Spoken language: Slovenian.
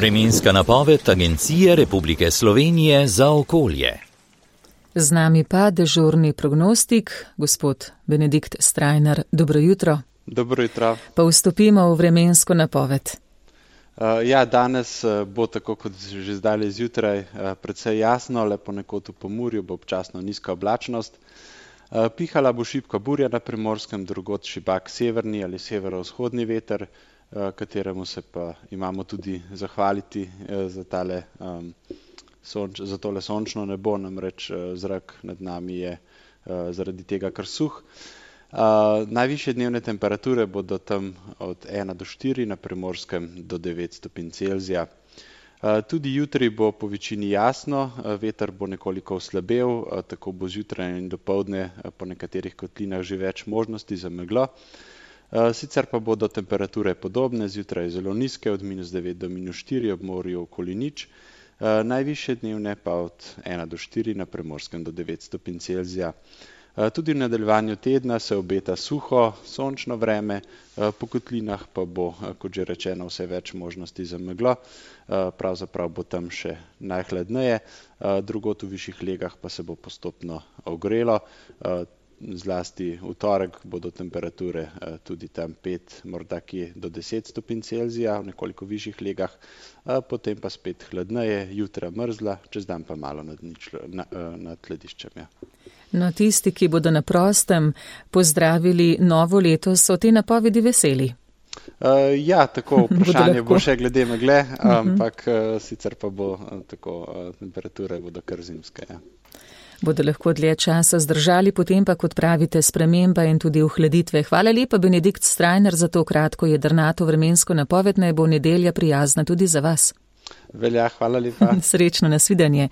Vremenska napoved Agencije Republike Slovenije za okolje. Z nami pa dežurni prognostik, gospod Benedikt Strajnar. Dobro jutro. Dobro jutro. Pa vstopimo v vremensko napoved. Danes bo tako kot že zdaj zjutraj precej jasno, le ponekod v Pomurju bo občasno nizka oblačnost. Pihala bo šibka burja na Primorskem, drugod šibak severni ali severovzhodni veter, kateremu se pa imamo tudi zahvaliti za tole sončno nebo, namreč zrak nad nami je zaradi tega kar suh. Najvišje dnevne temperature bodo tam od 1 do 4, na Primorskem do 9 stopinj Celzija. Tudi jutri bo po večini jasno, veter bo nekoliko oslabel, tako bo zjutraj in dopoldne po nekaterih kotlinah že več možnosti za meglo. Sicer pa bodo temperature podobne, zjutraj zelo nizke, od -9 do -4, ob morju okoli nič. Najvišje dnevne pa od 1 do 4, na Primorskem do 9 stopinj Celzija. Tudi v nadaljevanju tedna se obeta suho, sončno vreme, po kotlinah pa bo, kot že rečeno, vse več možnosti za meglo. Pravzaprav bo tam še najhladneje, drugod v višjih legah pa se bo postopno ogrelo. Zlasti v torek bodo temperature tudi tam 5, morda kje do 10 stopinj Celzija, v nekoliko višjih legah, potem pa spet hladneje, jutra mrzla, čez dan pa malo nad lediščem. Ja. No, tisti, ki bodo na prostem pozdravili novo leto, so te napovedi veseli. Tako vprašanje bo še glede megle, ampak sicer pa bo tako, temperature bodo kar zimske. Ja. Bodo lahko dlje časa zdržali, potem pa, kot pravite, sprememba in tudi ohladitve. Hvala lepa, Benedikt Strajnar, za to kratko jedrnato vremensko napoved. Naj bo nedelja prijazna tudi za vas. Velja, hvala lepa. Srečno, nasvidenje.